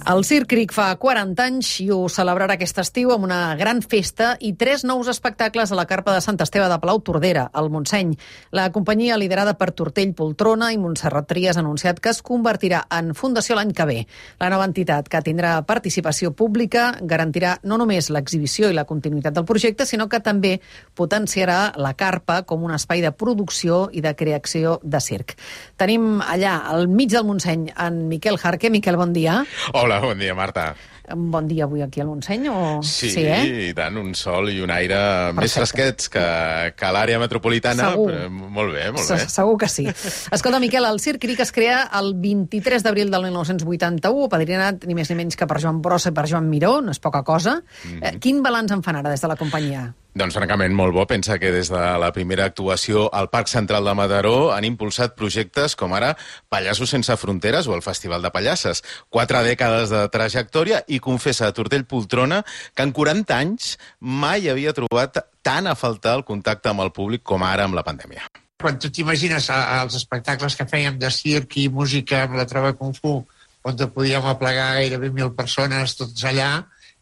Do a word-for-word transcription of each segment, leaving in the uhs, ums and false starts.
El Circ Cric fa quaranta anys i ho celebrarà aquest estiu amb una gran festa i tres nous espectacles a la carpa de Sant Esteve de Palautordera, al Montseny. La companyia, liderada per Tortell Poltrona i Montserrat Trias, ha anunciat que es convertirà en fundació l'any que ve. La nova entitat, que tindrà participació pública, garantirà no només l'exhibició i la continuïtat del projecte, sinó que també potenciarà la carpa com un espai de producció i de creació de circ. Tenim allà, al mig del Montseny, en Miquel Jarque. Miquel, bon dia. Hola, bon dia, Marta. Bon dia avui aquí al Montseny, o...? Sí, sí eh? i tant, un sol i un aire Perfecte. Més fresquets que, que l'àrea metropolitana. Segur. Però molt bé, molt bé. Segur que sí. Escolta, Miquel, el Circ Cric es crea el vint-i-tres d'abril del mil nou-cents vuitanta-u, apadrinat ni més ni menys que per Joan Brossa i per Joan Miró, no és poca cosa. Mm-hmm. eh, quin balanç en fan ara des de la companyia? Doncs francament molt bo. Pensa que des de la primera actuació al Parc Central de Mataró han impulsat projectes com ara Pallassos sense fronteres o el Festival de Pallasses. Quatre dècades de trajectòria i confessa a Tortell Poltrona que en quaranta anys mai havia trobat tant a faltar el contacte amb el públic com ara amb la pandèmia. Quan tu t'imagines els espectacles que fèiem de circ i música amb la Trova Kung Fu, on te podíem aplegar gairebé mil persones tots allà,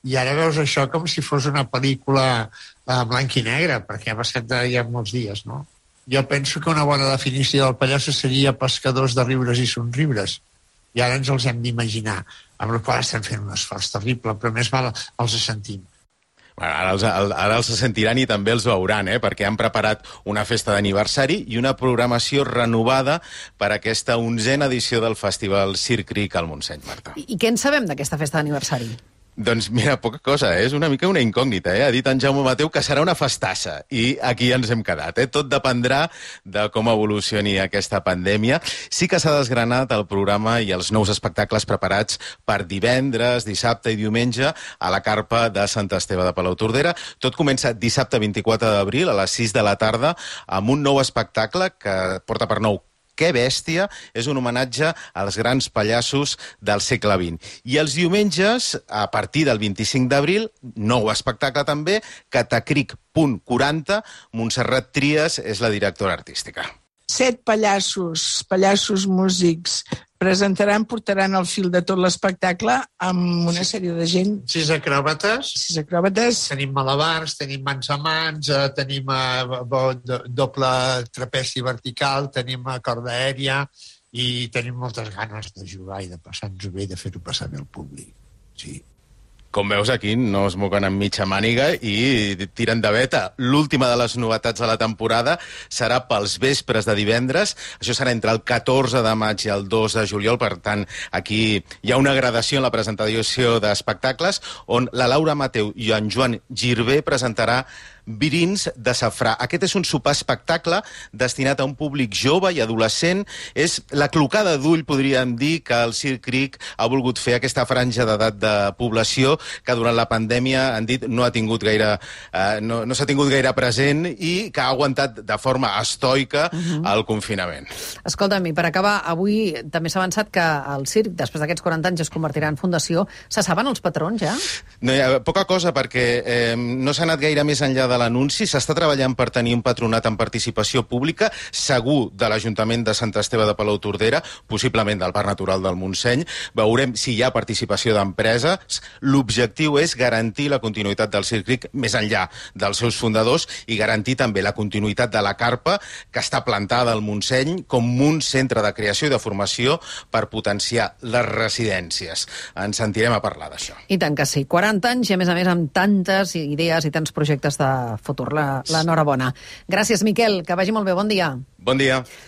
i ara veus això com si fos una pel·lícula en blanc i negre, perquè ha passat ja molts dies, no? Jo penso que una bona definició del pallasso seria pescadors de riures i somriures, i ara ens els hem d'imaginar, amb la qual estem fent un esforç terrible, però més val els sentim. Ara els, ara els sentiran i també els veuran, eh? Perquè han preparat una festa d'aniversari i una programació renovada per a aquesta onzena edició del Festival Circ Cric al Montseny, Marta. I, I què en sabem d'aquesta festa d'aniversari? Doncs mira, poca cosa, eh? És una mica una incògnita, eh? Ha dit en Jaume Mateu que serà una festassa i aquí ens hem quedat, eh? Tot dependrà de com evolucioni aquesta pandèmia. Sí que s'ha desgranat el programa i els nous espectacles preparats per divendres, dissabte i diumenge a la carpa de Sant Esteve de Palautordera. Tot comença dissabte vint-i-quatre d'abril a les sis de la tarda amb un nou espectacle que porta per nou Que bèstia, és un homenatge als grans pallassos del segle vint. I els diumenges, a partir del vint-i-cinc d'abril, nou espectacle també, Catacric punt quaranta, Montserrat Trias és la directora artística. Set pallassos, pallassos músics, presentaran, portaran el fil de tot l'espectacle amb una sèrie de gent. Sis acròbates. Sis acròbates. Tenim malabars, tenim mans a mans, eh, tenim eh, doble trapeci vertical, tenim corda aèria i tenim moltes ganes de jugar i de passar-nos bé i de fer-ho passar bé al públic. Sí. Com veus, aquí no es moguen amb mitja màniga i tiren de veta. L'última de les novetats de la temporada serà pels vespres de divendres. Això serà entre el catorze de maig i el dos de juliol. Per tant, aquí hi ha una gradació en la presentació d'espectacles on la Laura Mateu i en Joan Girbé presentarà Virins de safrà. Aquest és un sopar espectacle destinat a un públic jove i adolescent. És la clocada d'ull, podríem dir, que el Circ Cric ha volgut fer aquesta franja d'edat de població que durant la pandèmia, han dit, no ha tingut gaire, eh, no, no s'ha tingut gaire present i que ha aguantat de forma estoica uh-huh. el confinament. Escolta'm, i per acabar, avui també s'ha avançat que el circ, després d'aquests quaranta anys, es convertirà en fundació. Se saben els patrons, ja? No hi ha poca cosa, perquè eh, no s'ha anat gaire més enllà de l'anunci. S'està treballant per tenir un patronat en participació pública, segur de l'Ajuntament de Sant Esteve de Palautordera, possiblement del Parc Natural del Montseny. Veurem si hi ha participació d'empreses. L'objectiu és garantir la continuïtat del Circ Cric més enllà dels seus fundadors i garantir també la continuïtat de la carpa que està plantada al Montseny com un centre de creació i de formació per potenciar les residències. Ens sentirem a parlar d'això. I tant que sí. quaranta anys i, a més a més, amb tantes idees i tants projectes de futur. L'enhorabona. Gràcies, Miquel, que vagi molt bé. Bon dia. Bon dia.